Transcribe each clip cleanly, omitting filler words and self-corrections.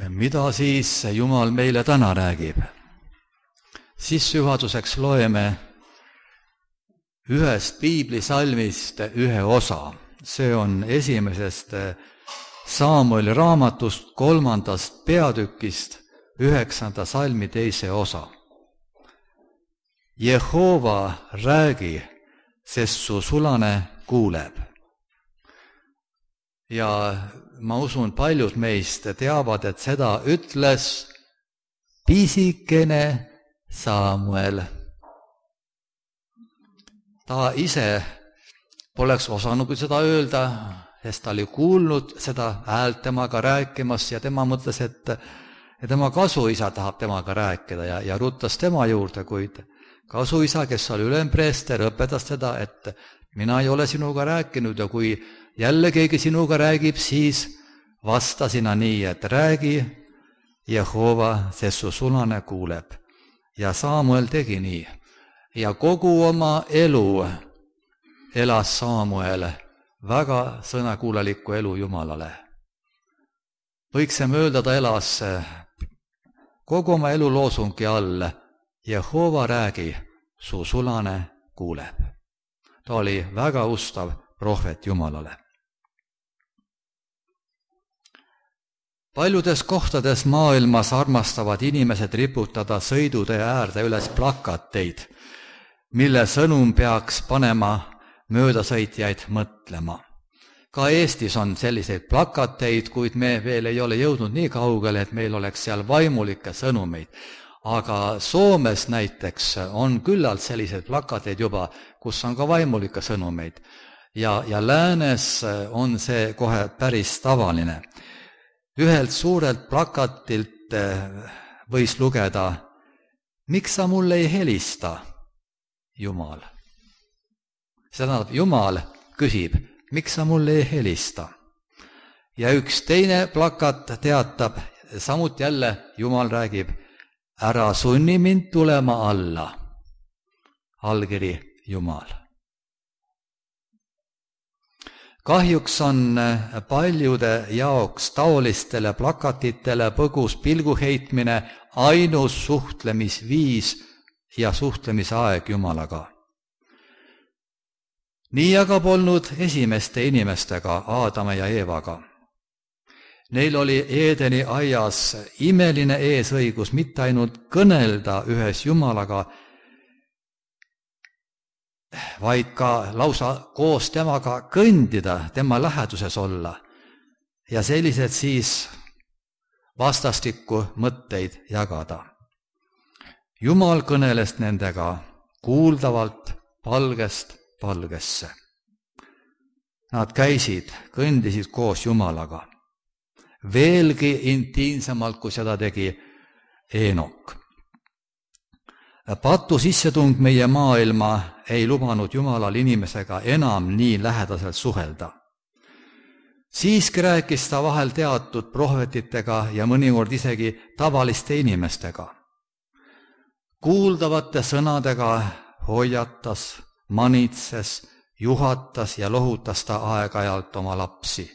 Mida siis Jumal meile täna räägib? Sissejuhatuseks loeme ühest piiblisalmist ühe osa. See on esimesest Saamueli raamatust 3. peatükist 9. salmi 2. osa. Jehova, räägi, sest su sulane kuuleb. Ja ma usun, paljud meist teavad, et seda ütles pisikene Saamuel. Ta ise poleks osanud seda öelda, sest ta oli kuulnud seda häält temaga rääkimas ja tema mõtles, et tema kasuisa tahab temaga rääkida ja ruttas tema juurde, kuid kasuisa, kes oli ülempreester, õpetas teda, et mina ei ole sinuga rääkinud ja kui jälle keegi sinuga räägib, siis vasta sina nii, et räägi, Jehova, sest su sulane kuuleb. Ja Saamuel tegi nii. Ja kogu oma elu elas Saamuel väga sõnakuulelikku elu Jumalale. Võiksime öelda, ta elas kogu oma elu loosungi all, Jehova, räägi, su sulane kuuleb. Ta oli väga ustav prohvet Jumalale. Paljudes kohtades maailmas armastavad inimesed riputada sõidutee äärde üles plakateid, mille sõnum peaks panema möödasõitjaid mõtlema. Ka Eestis on selliseid plakateid, kuid me veel ei ole jõudnud nii kaugele, et meil oleks seal vaimulikke sõnumeid. Aga Soomes näiteks on küllalt selliseid plakateid juba, kus on ka vaimulikke sõnumeid. Ja läänes on see kohe päris tavaline. Ühelt suurelt plakatilt võis lugeda, miks sa mulle ei helista, Jumal? See tähendab, Jumal küsib, miks sa mulle ei helista? Ja üks teine plakat teatab, samuti jälle Jumal räägib, ära sunni mind tulema alla. Allkiri Jumal. Kahjuks on paljude jaoks taolistele plakatitele põgus pilguheitmine ainus suhtlemisviis ja suhtlemisaeg Jumalaga. Nii aga polnud esimeste inimestega, Aadama ja Eevaga. Neil oli Eedeni aias imeline eesõigus mitte ainult kõnelda ühes Jumalaga, vaid ka lausa koos temaga kõndida, tema läheduses olla ja sellised siis vastastikku mõtteid jagada. Jumal kõneles nendega kuuldavalt palgest palgesse. Nad käisid, kõndisid koos Jumalaga. Veelgi intiimsemalt, kui seda tegi Eenok. Patu sissetung meie maailma ei lubanud Jumalal inimesega enam nii lähedaselt suhelda. Siiski rääkis ta vahel teatud prohvetitega ja mõnikord isegi tavaliste inimestega. Kuuldavate sõnadega hoiatas, manitses, juhatas ja lohutas ta aeg-ajalt oma lapsi.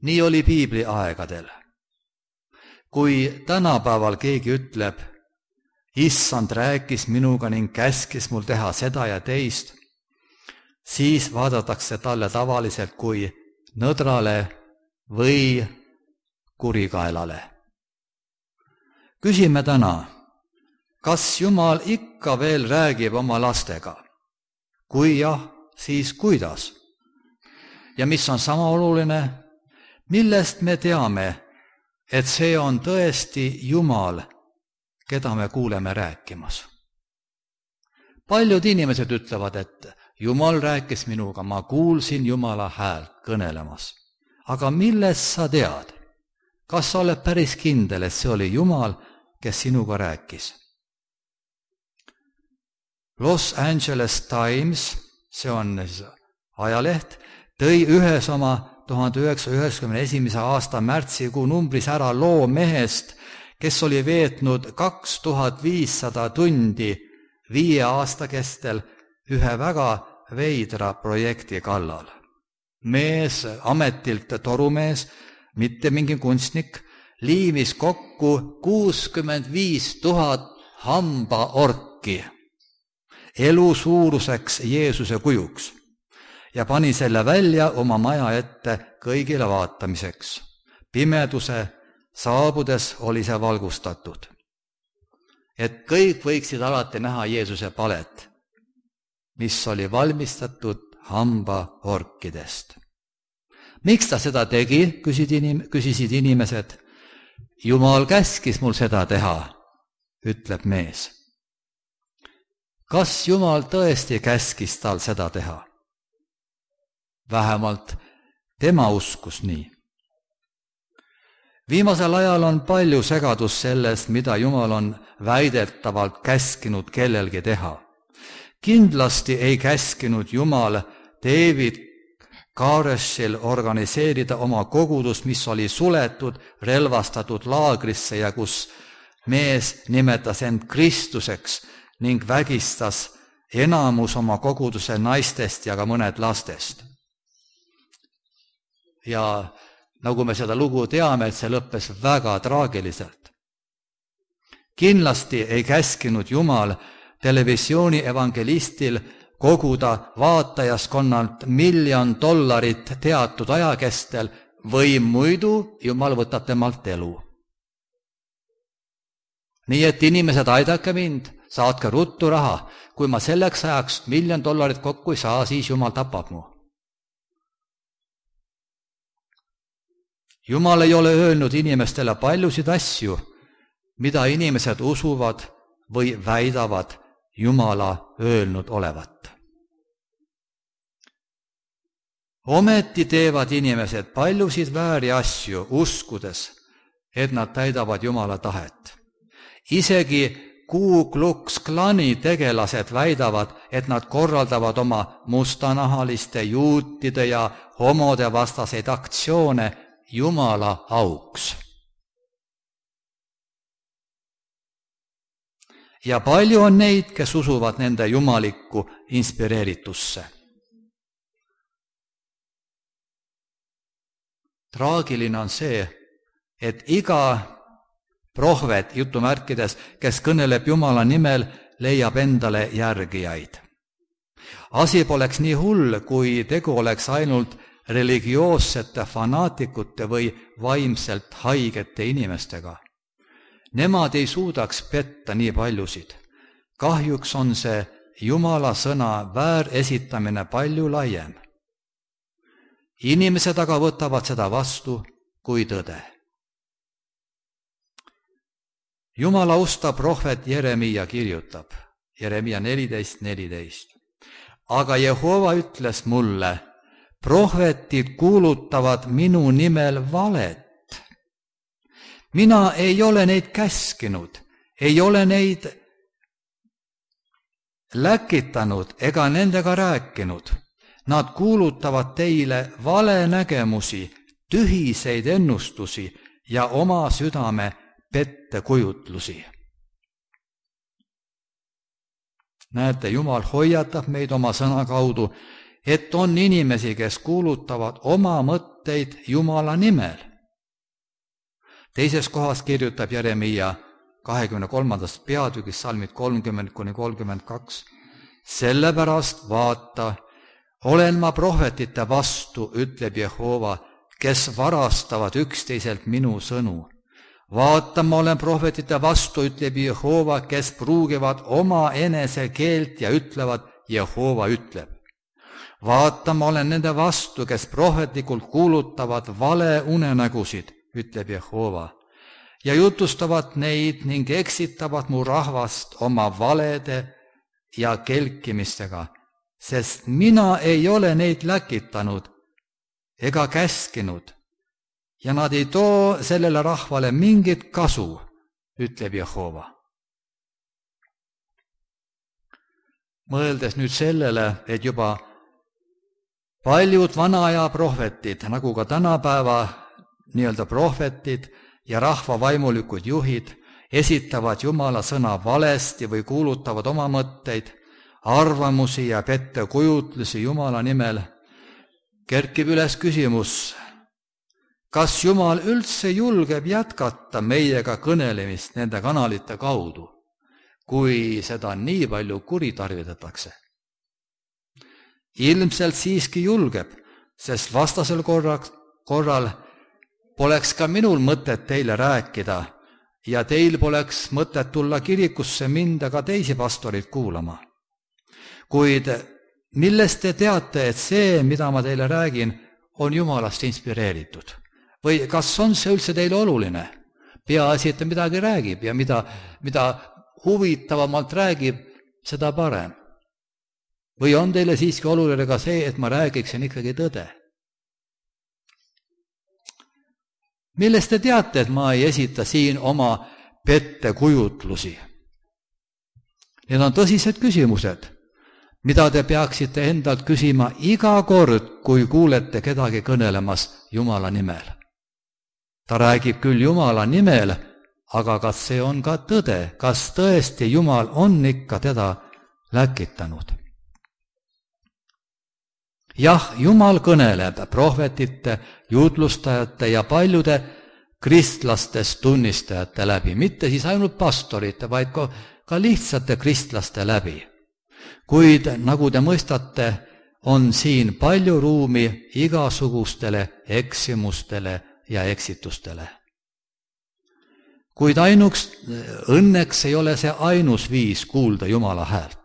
Nii oli piibli aegadel. Kui tänapäeval keegi ütleb, Issand rääkis minuga ning käskis mul teha seda ja teist, siis vaadatakse talle tavaliselt kui nõdrale või kurikaelale. Küsime täna, kas Jumal ikka veel räägib oma lastega? Kui jah, siis kuidas? Ja mis on sama oluline, millest me teame, et see on tõesti Jumal, keda me kuuleme rääkimas? Paljud inimesed ütlevad, et Jumal rääkis minuga, ma kuulsin Jumala häält kõnelemas. Aga millest sa tead? Kas sa oled päris kindel, et see oli Jumal, kes sinuga rääkis? Los Angeles Times, see on ajaleht, tõi ühes oma 1991. aasta märtsikuu numbris ära loo mehest, kes oli veetnud 2500 tundi 5 aasta kestel ühe väga veidra projekti kallal. Mees, ametilt torumees, mitte mingi kunstnik, liimis kokku 65 000 hambaorki elu suuruseks Jeesuse kujuks ja pani selle välja oma maja ette kõigile vaatamiseks. Pimeduse saabudes oli see valgustatud, et kõik võiksid alati näha Jeesuse palet, mis oli valmistatud hambaorkidest. Miks ta seda tegi, küsisid inimesed. Jumal käskis mul seda teha, ütleb mees. Kas Jumal tõesti käskis tal seda teha? Vähemalt tema uskus nii. Viimasel ajal on palju segadust sellest, mida Jumal on väidetavalt käskinud kellelgi teha. Kindlasti ei käskinud Jumal David Kareshil organiseerida oma kogudus, mis oli suletud, relvastatud laagrisse ja kus mees nimetas end Kristuseks ning vägistas enamus oma koguduse naistest ja ka mõned lastest. Ja nagu me seda lugu teame, et see lõppes väga traagiliselt. Kindlasti ei käskinud Jumal televisiooni evangelistil koguda vaatajaskonnalt $1 miljon teatud ajakestel või muidu Jumal võtab temalt elu. Nii et inimesed, aidake mind, saatke ruttu raha. Kui ma selleks ajaks $1 miljon kokku ei saa, siis Jumal tapab mu. Jumal ei ole öelnud inimestele paljusid asju, mida inimesed usuvad või väidavad Jumala öelnud olevat. Ometi teevad inimesed paljusid vääri asju, uskudes, et nad täidavad Jumala tahet. Isegi Ku Klux Klani tegelased väidavad, et nad korraldavad oma mustanahaliste, juutide ja homode vastaseid aktsioone Jumala auks. Ja palju on neid, kes usuvad nende jumalikku inspireeritusse. Traagiline on see, et iga prohvet, jutumärkides, kes kõneleb Jumala nimel, leiab endale järgijaid. Asi poleks nii hull, kui tegu oleks ainult religioossete fanaatikute või vaimselt haigete inimestega. Nemad ei suudaks petta nii paljusid. Kahjuks on see Jumala sõna vääresitamine palju laiem. Inimesed aga võtavad seda vastu kui tõde. Jumala usta prohvet Jeremia kirjutab, Jeremia 14:14. Aga Jehova ütles mulle, prohvetid kuulutavad minu nimel valet. Mina ei ole neid käskinud, ei ole neid läkitanud ega nendega rääkinud. Nad kuulutavad teile valenägemusi, tühiseid ennustusi ja oma südame pettekujutlusi. Näete, Jumal hoiatab meid oma sõna kaudu, et on inimesi, kes kuulutavad oma mõtteid Jumala nimel. Teises kohas kirjutab Jeremia 23. peatükis salmid 30-32. Sellepärast vaata, olen ma prohvetite vastu, ütleb Jehova, kes varastavad üksteiselt minu sõnu. Vaata, ma olen prohvetite vastu, ütleb Jehova, kes pruugivad oma enese keelt ja ütlevad, Jehova ütleb. Vaata, ma olen nende vastu, kes prohvetlikult kuulutavad vale unenägusid, ütleb Jehova, ja jutustavad neid ning eksitavad mu rahvast oma valede ja kelkimistega, sest mina ei ole neid läkitanud ega käskinud ja nad ei too sellele rahvale mingit kasu, ütleb Jehova. Mõeldes nüüd sellele, et juba paljud vana aja prohvetid, nagu ka tänapäeva nii-öelda prohvetid ja rahva vaimulikud juhid, esitavad Jumala sõna valesti või kuulutavad oma mõtteid, arvamusi ja pettekujutlusi Jumala nimel, kerkib üles küsimus, kas Jumal üldse julgeb jätkata meiega kõnelemist nende kanalite kaudu, kui seda nii palju kuritarvitatakse? Ilmselt siiski julgeb, sest vastasel korral poleks ka minul mõtet teile rääkida ja teil poleks mõtet tulla kirikusse mind ega teisi pastoreid kuulama. Kuid millest te teate, et see, mida ma teile räägin, on Jumalast inspireeritud? Või kas on see üldse teile oluline? Peaasi, et ta midagi räägib ja mida huvitavamalt räägib, seda parem. Või on teile siiski oluline ka see, et ma räägiksin ikkagi tõde? Millest te teate, et ma ei esita siin oma pettekujutlusi? Need on tõsised küsimused, mida te peaksite endalt küsima iga kord, kui kuulete kedagi kõnelemas Jumala nimel. Ta räägib küll Jumala nimel, aga kas see on ka tõde? Kas tõesti Jumal on ikka teda läkitanud? Jah, Jumal kõneleb prohvetite, jutlustajate ja paljude kristlastest tunnistajate läbi, mitte siis ainult pastorite, vaid ka lihtsate kristlaste läbi. Kuid nagu te mõistate, on siin palju ruumi igasugustele eksimustele ja eksitustele. Kuid õnneks ei ole see ainus viis kuulda Jumala häält.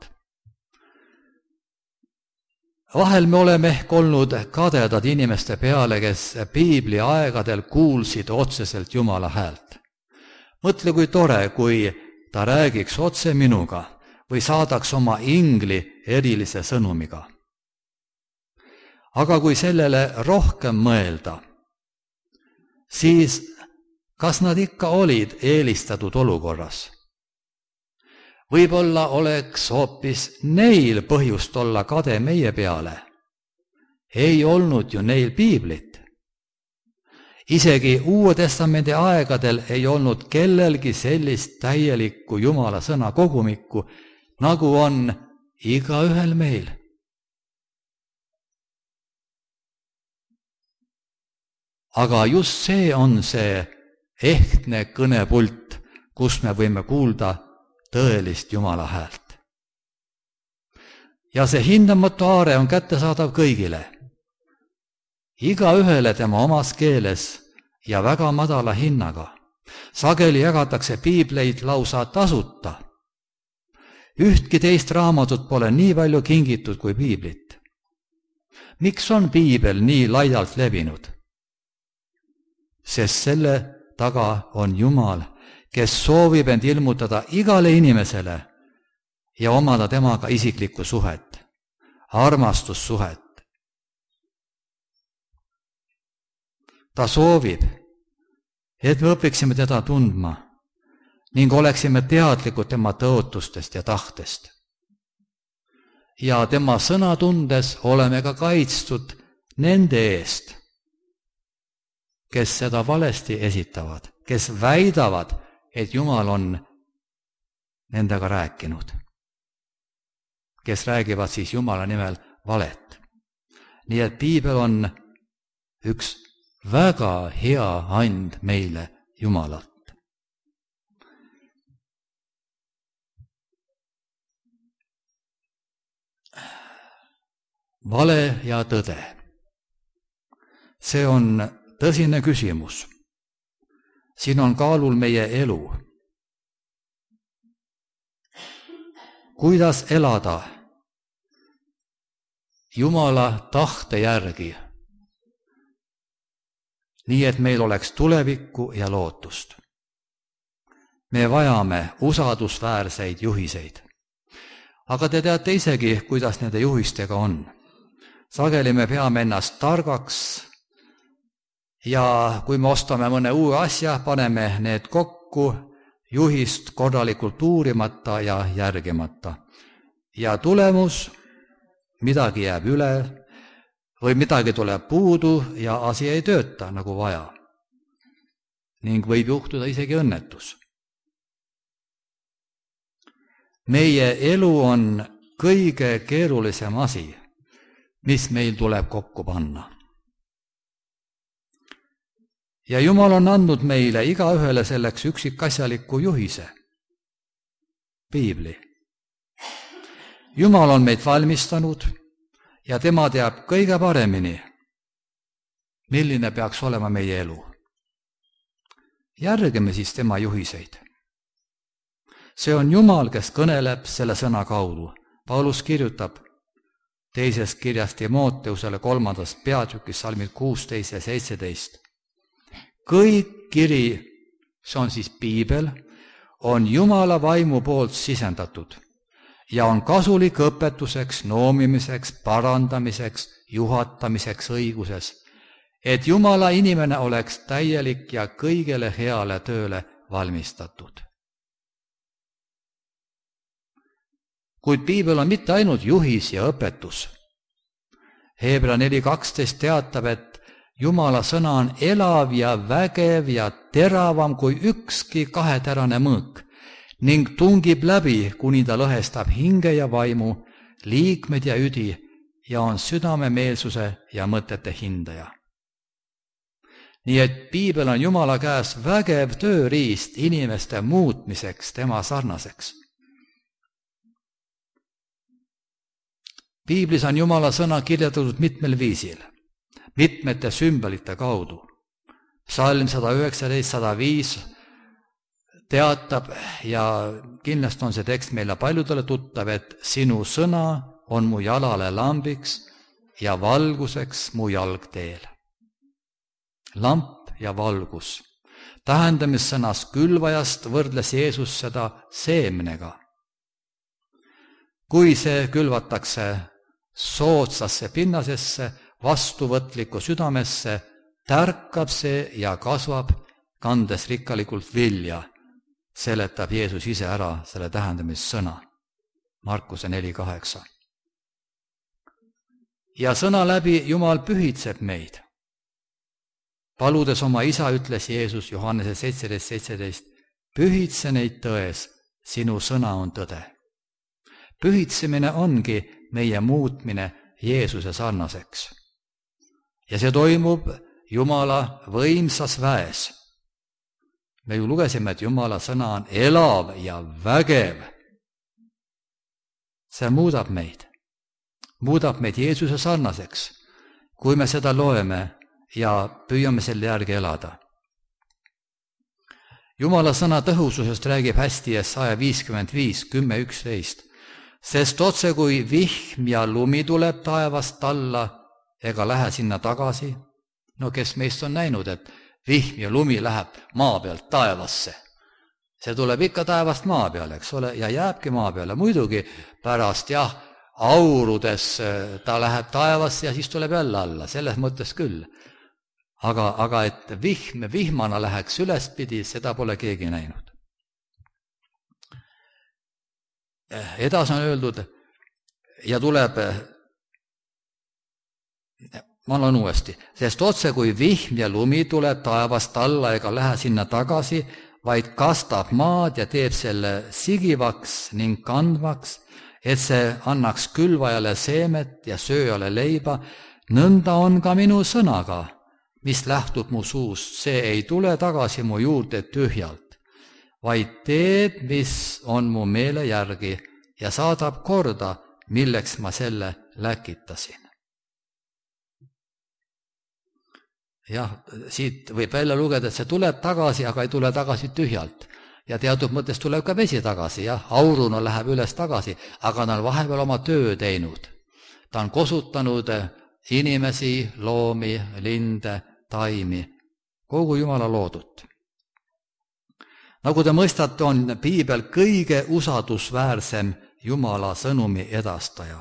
Vahel me oleme ehk olnud kadedad inimeste peale, kes piibli aegadel kuulsid otseselt Jumala häält. Mõtle, kui tore, kui ta räägiks otse minuga või saadaks oma ingli erilise sõnumiga. Aga kui sellele rohkem mõelda, siis kas nad ikka olid eelistatud olukorras? Võib-olla oleks hoopis neil põhjust olla kade meie peale. Ei olnud ju neil piiblit. Isegi Uue Testamendi aegadel ei olnud kellelgi sellist täielikku Jumala sõna kogumikku, nagu on igaühel meil. Aga just see on see ehtne kõnepult, kus me võime kuulda tõelist Jumala häält. Ja see hindamatu aare on kättesaadav kõigile, igaühele tema omas keeles ja väga madala hinnaga. Sageli jagatakse piibleid lausa tasuta. Ühtki teist raamatut pole nii palju kingitud kui piiblit. Miks on piibel nii laialt levinud? Sest selle taga on Jumal, kes soovib end ilmutada igale inimesele ja omada temaga isiklikku suhet, armastussuhet. Ta soovib, et me õpiksime teda tundma ning oleksime teadlikud tema tõotustest ja tahtest. Ja tema sõna tundes oleme ka kaitstud nende eest, kes seda valesti esitavad, kes väidavad, et Jumal on nendega rääkinud, kes räägivad siis Jumala nimel valet. Nii et piibel on üks väga hea and meile Jumalalt. Vale ja tõde. See on tõsine küsimus. Siin on kaalul meie elu. Kuidas elada Jumala tahte järgi, nii et meil oleks tulevikku ja lootust. Me vajame usaldusväärseid juhiseid. Aga te teate isegi, kuidas nende juhistega on. Sageli me peame ennast targaks ja kui me ostame mõne uue asja, paneme need kokku juhist korralikult uurimata ja järgimata. Ja tulemus, midagi jääb üle või midagi tuleb puudu ja asi ei tööta nagu vaja. Ning võib juhtuda isegi õnnetus. Meie elu on kõige keerulisem asi, mis meil tuleb kokku panna. ja Jumal on andnud meile igaühele selleks üksikasjaliku juhise, piibli. Jumal on meid valmistanud ja tema teab kõige paremini, milline peaks olema meie elu. Järgime siis tema juhiseid. See on Jumal, kes kõneleb selle sõna kaudu. Paulus kirjutab teisest kirjast Timoteusele 3. peatükis salmid 16 ja 17. Kõik kiri, see on siis piibel, on Jumala vaimu poolt sisendatud ja on kasulik õpetuseks, noomimiseks, parandamiseks, juhatamiseks õiguses, et Jumala inimene oleks täielik ja kõigele heale tööle valmistatud. Kuid piibel on mitte ainult juhis ja õpetus. Hebra 4.12 teatab, et Jumala sõna on elav ja vägev ja teravam kui ükski kaheterane mõõk ning tungib läbi, kuni ta lõhestab hinge ja vaimu, liikmed ja üdi ja on südamemeelsuse ja mõtete hindaja. Nii et piibel on Jumala käes vägev tööriist inimeste muutmiseks tema sarnaseks. Piiblis on Jumala sõna kirjeldatud mitmel viisil, mitmete sümbolite kaudu. Psalm 119-105 teatab ja kindlasti on see tekst meile paljudele tuttav, et sinu sõna on mu jalale lambiks ja valguseks mu jalgteel. Lamp ja valgus. Tähendamissõnas külvajast võrdles Jeesus seda seemnega. Kui see külvatakse soodsasse pinnasesse, vastuvõtlikku südamesse, tärkab see ja kasvab, kandes rikkalikult vilja, seletab Jeesus ise ära selle tähendamissõna. Markuse 4.8. Ja sõna läbi Jumal pühitseb meid. Paludes oma isa ütles Jeesus Johannese 17.17, pühitse neid tões, sinu sõna on tõde. Pühitsemine ongi meie muutmine Jeesuse sarnaseks. Ja see toimub Jumala võimsas väes. Me ju lugesime, et Jumala sõna on elav ja vägev. See muudab meid Jeesuse sarnaseks, kui me seda loeme ja püüame selle järgi elada. Jumala sõna tõhususest räägib hästi Jesaja 55, 10-11. Sest otse kui vihm ja lumi tuleb taevast alla ega lähe sinna tagasi. No kes meist on näinud, et vihm ja lumi läheb maa pealt taevasse? See tuleb ikka taevast maa peale, eks ole, ja jääbki maa peale. Muidugi pärast aurudes ta läheb taevasse ja siis tuleb jälle alla, selles mõttes küll. Aga et vihmana läheks ülespidi, seda pole keegi näinud. Edasi on öeldud ja tuleb, ma loen uuesti, sest otse kui vihm ja lumi tuleb taevast alla ega lähe sinna tagasi, vaid kastab maad ja teeb selle sigivaks ning kandvaks, et see annaks külvajale seemet ja sööjale leiba, nõnda on ka minu sõnaga, mis lähtub mu suust, see ei tule tagasi mu juurde tühjalt, vaid teeb, mis on mu meele järgi ja saadab korda, milleks ma selle läkitasin. Jah, siit võib välja lugeda, et see tuleb tagasi, aga ei tule tagasi tühjalt. Ja teatud mõttes tuleb ka vesi tagasi, auruna läheb üles tagasi, aga ta on vahepeal oma töö teinud. Ta on kosutanud inimesi, loomi, linde, taimi, kogu Jumala loodut. Nagu te mõistate, on piibel kõige usaldusväärsem Jumala sõnumi edastaja.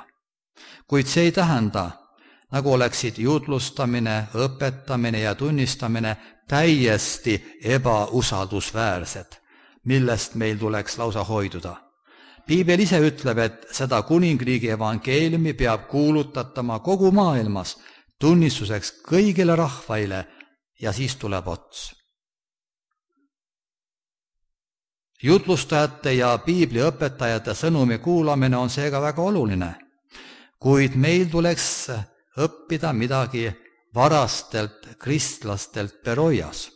Kuid see ei tähenda, nagu oleksid jutlustamine, õpetamine ja tunnistamine täiesti ebausaldusväärsed, millest meil tuleks lausa hoiduda. Piibel ise ütleb, et seda kuningriigi evangeeliumi peab kuulutatama kogu maailmas tunnistuseks kõigile rahvaile ja siis tuleb ots. Jutlustajate ja piibliõpetajate sõnumi kuulamine on seega väga oluline, kuid meil tuleks õppida midagi varastelt kristlastelt Beroias.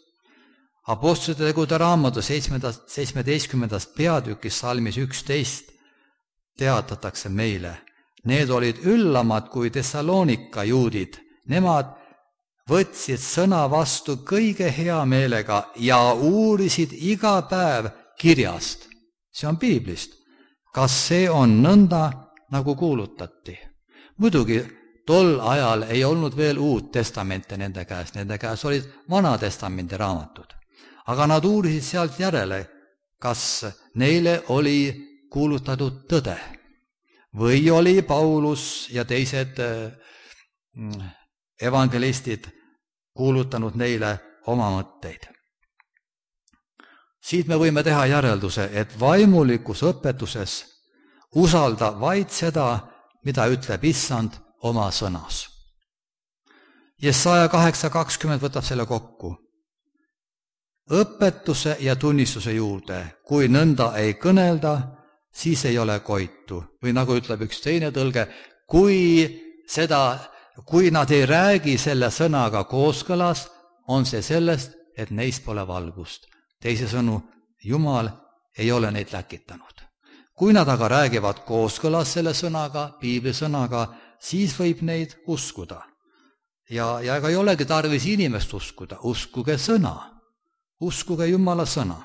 Apostlite tegude raamatu 17. peatükis salmis 11 teatatakse meile. Need olid üllamad kui Thessaloonika juudid. Nemad võtsid sõna vastu kõige hea meelega ja uurisid iga päev kirjast, see on piiblist, kas see on nõnda, nagu kuulutati. Muidugi tol ajal ei olnud veel Uut Testamente nende käes olid Vana Testamendi raamatud. Aga nad uurisid sealt järele, kas neile oli kuulutatud tõde või oli Paulus ja teised evangelistid kuulutanud neile oma mõtteid. Siit me võime teha järelduse, et vaimulikus õpetuses usalda vaid seda, mida ütleb Issand oma sõnas. Jesaja 8:20 võtab selle kokku. Õpetuse ja tunnistuse juurde, kui nõnda ei kõnelda, siis ei ole koitu. Või nagu ütleb üks teine tõlge, kui nad ei räägi selle sõnaga kooskõlas, on see sellest, et neis pole valgust. Teisisõnu, Jumal ei ole neid läkitanud. Kui nad aga räägivad kooskõlas selle sõnaga, piiblisõnaga, siis võib neid uskuda. Ja ega ei olegi tarvis inimest uskuda, uskuge sõna. Uskuge Jumala sõna.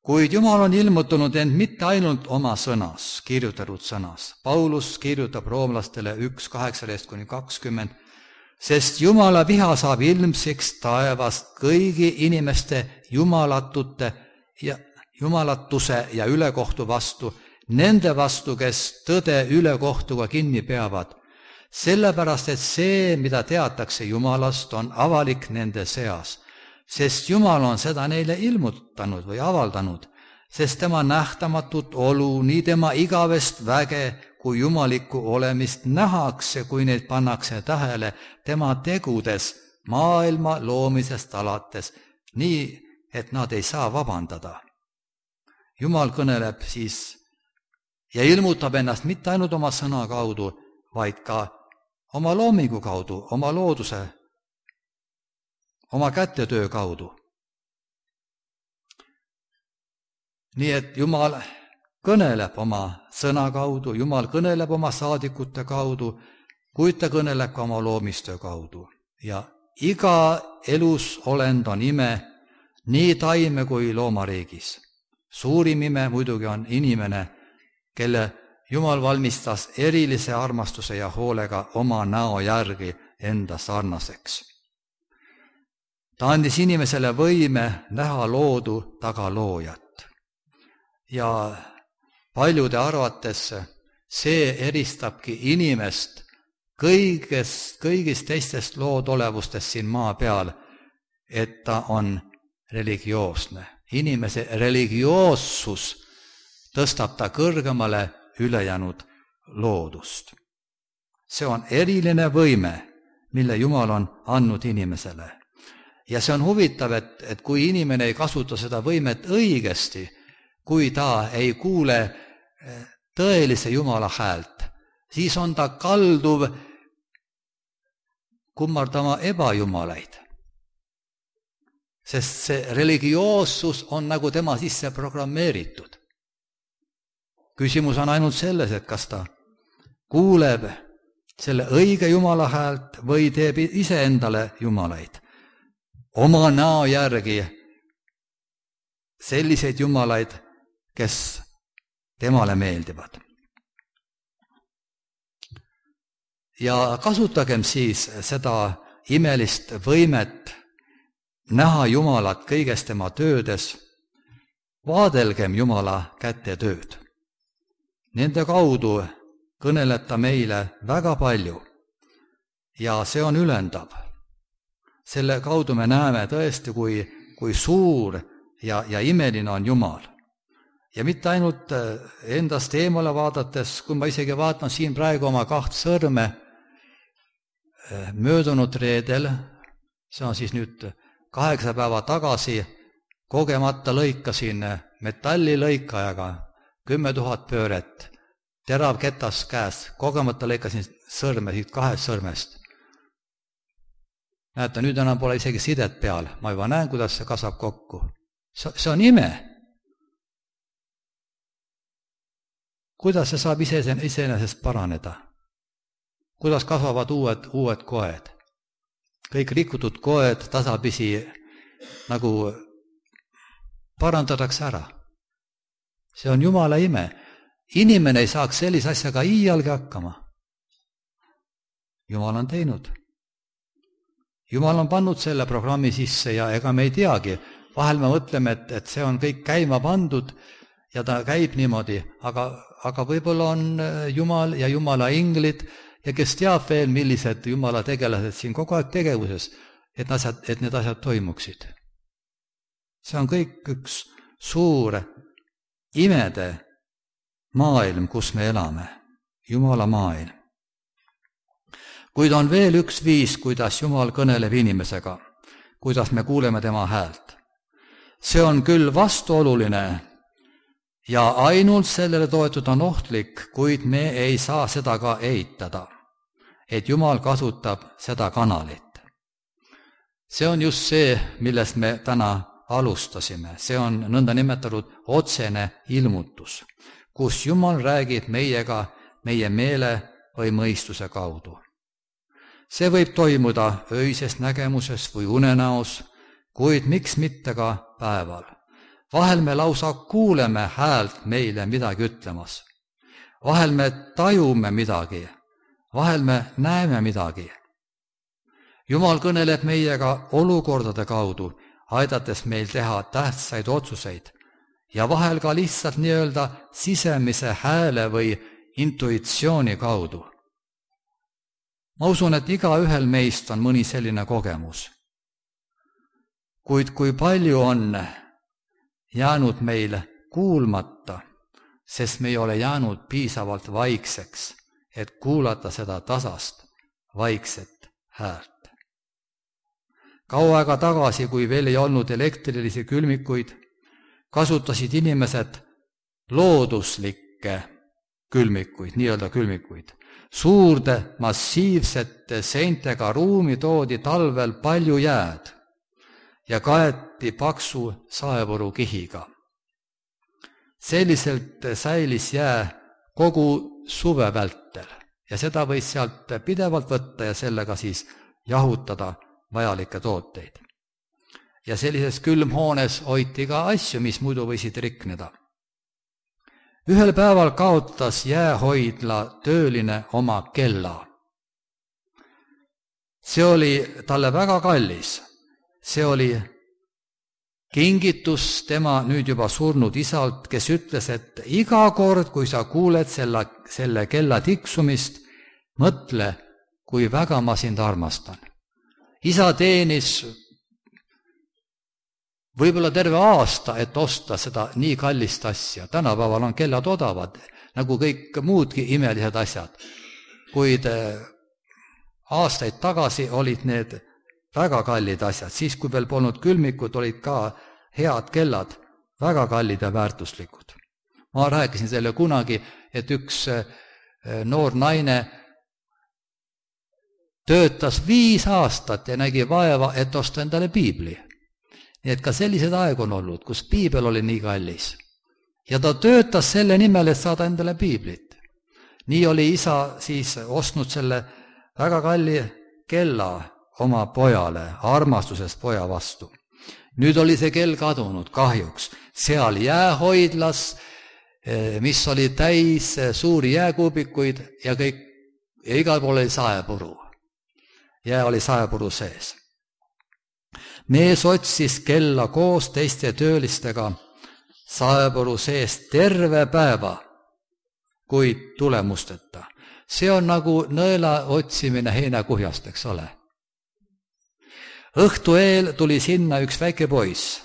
Kuid Jumal on ilmutanud end mitte ainult oma sõnas, kirjutatud sõnas. Paulus kirjutab roomlastele 1:18-20, sest Jumala viha saab ilmsiks taevast kõigi inimeste jumalatuse ja ülekohtu vastu, nende vastu, kes tõde ülekohtuga kinni peavad, sellepärast, et see, mida teatakse Jumalast, on avalik nende seas. Sest Jumal on seda neile ilmutanud või avaldanud, sest tema nähtamatut olu, nii tema igavest väge kui jumalikku olemist nähakse, kui neid pannakse tähele tema tegudes maailma loomisest alates, nii et nad ei saa vabandada. Jumal kõneleb siis ja ilmutab ennast mitte ainult oma sõna kaudu, vaid ka oma loomingu kaudu, oma looduse, oma kätetöö kaudu. Nii et Jumal kõneleb oma sõna kaudu, Jumal kõneleb oma saadikute kaudu, kuid ta kõneleb ka oma loomistöö kaudu. Ja iga elus olend on ime, nii taime kui loomariigis. Suurim ime muidugi on inimene, kelle Jumal valmistas erilise armastuse ja hoolega oma näo järgi enda sarnaseks. Ta andis inimesele võime näha loodu taga loojat. Ja paljude arvates see eristabki inimest kõigist teistest loodolevustest siin maa peal, et ta on religioosne. Inimese religioossus tõstab ta kõrgemale ülejäänud loodust. See on eriline võime, mille Jumal on andnud inimesele. Ja see on huvitav, et kui inimene ei kasuta seda võimet õigesti, kui ta ei kuule tõelise Jumala häält, siis on ta kalduv kummardama ebajumalaid. Sest see religioossus on nagu tema sisse programmeeritud. Küsimus on ainult selles, et kas ta kuuleb selle õige Jumala häält või teeb iseendale jumalaid. Oma näo järgi selliseid jumalaid, kes temale meeldivad. Ja kasutagem siis seda imelist võimet näha Jumalat kõiges tema töödes, vaadelgem Jumala kätetööd. Nende kaudu kõneleb ta meile väga palju ja see on ülendav. Selle kaudu me näeme tõesti, kui suur ja imeline on Jumal. Ja mitte ainult endast eemale vaadates, kui ma isegi vaatan siin praegu oma 2 sõrme, möödunud reedel, see on siis nüüd 8 päeva tagasi, kogemata lõikasin metallilõikajaga 10 000 pööret, terav ketas käes, kogemata lõikasin sõrme siit 2 sõrmest. Näete, nüüd enam pole isegi sidet peal, ma juba näen, kuidas see kasvab kokku. See on ime. Kuidas see saab iseenesest paraneda? Kuidas kasvavad uued koed? Kõik rikutud koed tasapisi nagu parandatakse ära. See on Jumala ime. Inimene ei saaks sellise asjaga iialgi hakkama. Jumal on teinud. Jumal on pannud selle programmi sisse ja ega me ei teagi. Vahel me mõtleme, et see on kõik käima pandud ja ta käib niimoodi, aga võib-olla on Jumal ja Jumala inglid ja kes teab veel, millised Jumala tegelased siin kogu aeg tegevuses, et need asjad toimuksid. See on kõik üks suur imede maailm, kus me elame, Jumala maailm. Kuid on veel üks viis, kuidas Jumal kõneleb inimesega, kuidas me kuuleme tema häält. See on küll vastuoluline ja ainult sellele toetud on ohtlik, kuid me ei saa seda ka eitada, et Jumal kasutab seda kanalit. See on just see, millest me täna alustasime. See on nõnda nimetatud otsene ilmutus, kus Jumal räägib meiega meie meele või mõistuse kaudu. See võib toimuda öises nägemuses või unenäos, kuid miks mitte ka päeval. Vahel me lausa kuuleme häält meile midagi ütlemas. Vahel me tajume midagi, vahel me näeme midagi. Jumal kõneleb meiega olukordade kaudu, aidates meil teha tähtsaid otsuseid ja vahel ka lihtsalt nii-öelda sisemise hääle või intuitsiooni kaudu. Ma usun, et igaühel meist on mõni selline kogemus. Kuid kui palju on jäänud meil kuulmata, sest me ei ole jäänud piisavalt vaikseks, et kuulata seda tasast, vaikset häält. Kaua aega tagasi, kui veel ei olnud elektrilisi külmikuid, kasutasid inimesed looduslikke külmikuid, nii-öelda külmikuid. Suurde massiivsete seintega ruumi toodi talvel palju jääd ja kaeti paksu saepuru kihiga. Selliselt säilis jää kogu suve vältel ja seda võis sealt pidevalt võtta ja sellega siis jahutada vajalikke tooteid. Ja sellises külmhoones hoiti ka asju, mis muidu võisid rikneda. Ühel päeval kaotas jäähoidla tööline oma kella. See oli talle väga kallis. See oli kingitus tema nüüd juba surnud isalt, kes ütles, et iga kord, kui sa kuuled selle kella tiksumist, mõtle, kui väga ma sind armastan. Isa teenis võib-olla terve aasta, et osta seda nii kallist asja. Tänapäeval on kellad odavad, nagu kõik muudki imelised asjad. Kuid aastaid tagasi olid need väga kallid asjad. Siis, kui veel polnud külmikud, olid ka head kellad, väga kallid ja väärtuslikud. Ma rääkisin selle kunagi, et üks noor naine töötas 5 aastat ja nägi vaeva, et osta endale piibli. Nii et ka sellised aeg on olnud, kus piibel oli nii kallis. Ja ta töötas selle nimel, et saada endale piiblit. Nii oli isa siis ostnud selle väga kalli kella oma pojale, armastusest poja vastu. Nüüd oli see kell kadunud kahjuks. Seal jäähoidlas, mis oli täis suuri jääkuubikuid ja igal pool oli saepuru. Jää oli saepuru sees. Mees otsis kella koos teiste töölistega saepuru sees terve päeva, kuid tulemusteta. See on nagu nõela otsimine heinakuhjast, eks ole. Õhtu eel tuli sinna üks väike poiss,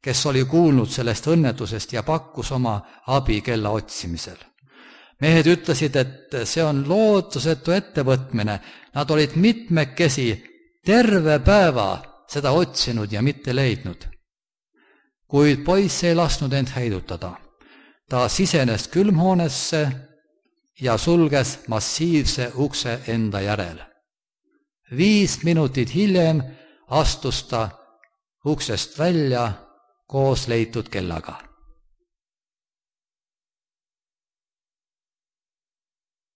kes oli kuulnud sellest õnnetusest ja pakkus oma abi kella otsimisel. Mehed ütlesid, et see on lootusetu ettevõtmine. Nad olid mitmekesi terve päeva seda otsinud ja mitte leidnud. Kuid poiss ei lasknud end heidutada. Ta sisenes külmhoonesse ja sulges massiivse ukse enda järel. 5 minutit hiljem astus ta uksest välja koos leitud kellaga.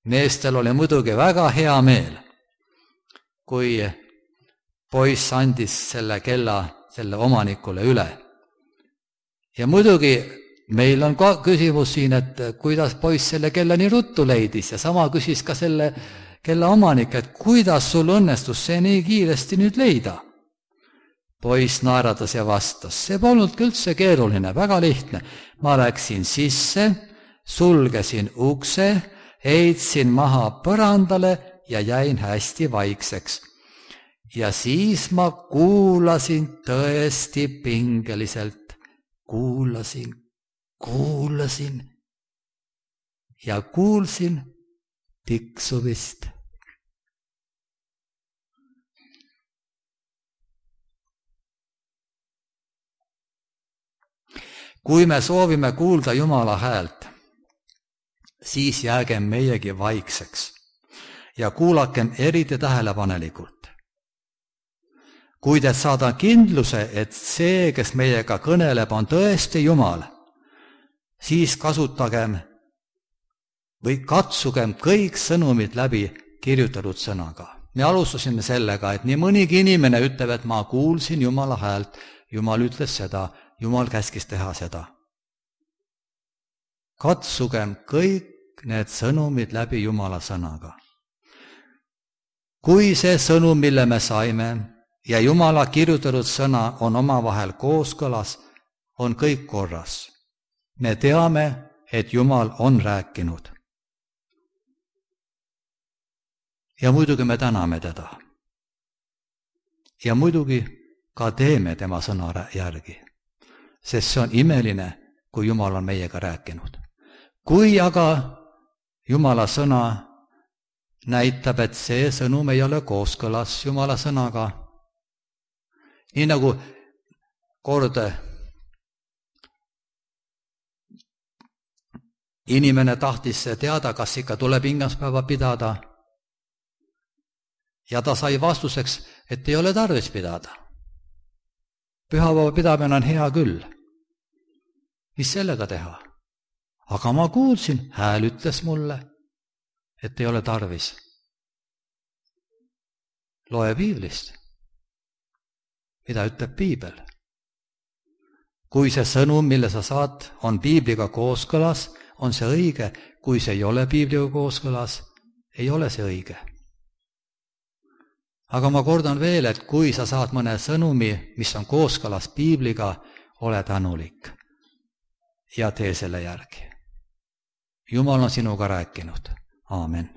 Meestel oli muidugi väga hea meel, kui poiss andis selle kella selle omanikule üle. Ja muidugi meil on ka küsimus siin, et kuidas poiss selle kella nii ruttu leidis ja sama küsis ka selle kella omanik, et kuidas sul õnnestus see nii kiiresti nüüd leida. Poiss naeratas ja vastas, see polnudki üldse keeruline, väga lihtne. Ma läksin sisse, sulgesin ukse, heitsin maha põrandale ja jäin hästi vaikseks. Ja siis ma kuulasin tõesti pingeliselt, kuulasin ja kuulsin tiksumist. Kui me soovime kuulda Jumala häält, siis jäägem meiegi vaikseks ja kuulakem eriti tähelepanelikult. Kuid et saada kindluse, et see, kes meiega kõneleb, on tõesti Jumal, siis kasutagem või katsugem kõik sõnumid läbi kirjutatud sõnaga. Me alustasime sellega, et nii mõnigi inimene ütleb, et ma kuulsin Jumala häält, Jumal ütles seda, Jumal käskis teha seda. Katsugem kõik need sõnumid läbi Jumala sõnaga. Kui see sõnum, mille me saime, ja Jumala kirjutatud sõna on omavahel kooskõlas, on kõik korras. Me teame, et Jumal on rääkinud. Ja muidugi me täname teda. Ja muidugi ka teeme tema sõna järgi, sest see on imeline, kui Jumal on meiega rääkinud. Kui aga Jumala sõna näitab, et see sõnum ei ole kooskõlas Jumala sõnaga, nii nagu kord inimene tahtis teada, kas ikka tuleb ingaspäeva pidada, ja ta sai vastuseks, et ei ole tarvis pidada. Pühapäeva pidamine on hea küll. Mis sellega teha? Aga ma kuulsin, hääl ütles mulle, et ei ole tarvis. Loe piiblist. Mida ütleb piibel? Kui see sõnum, mille sa saad, on piibliga kooskõlas, on see õige. Kui see ei ole piibliga kooskõlas, ei ole see õige. Aga ma kordan veel, et kui sa saad mõne sõnumi, mis on kooskõlas piibliga, ole tänulik ja tee selle järgi. Jumal on sinuga rääkinud. Aamen.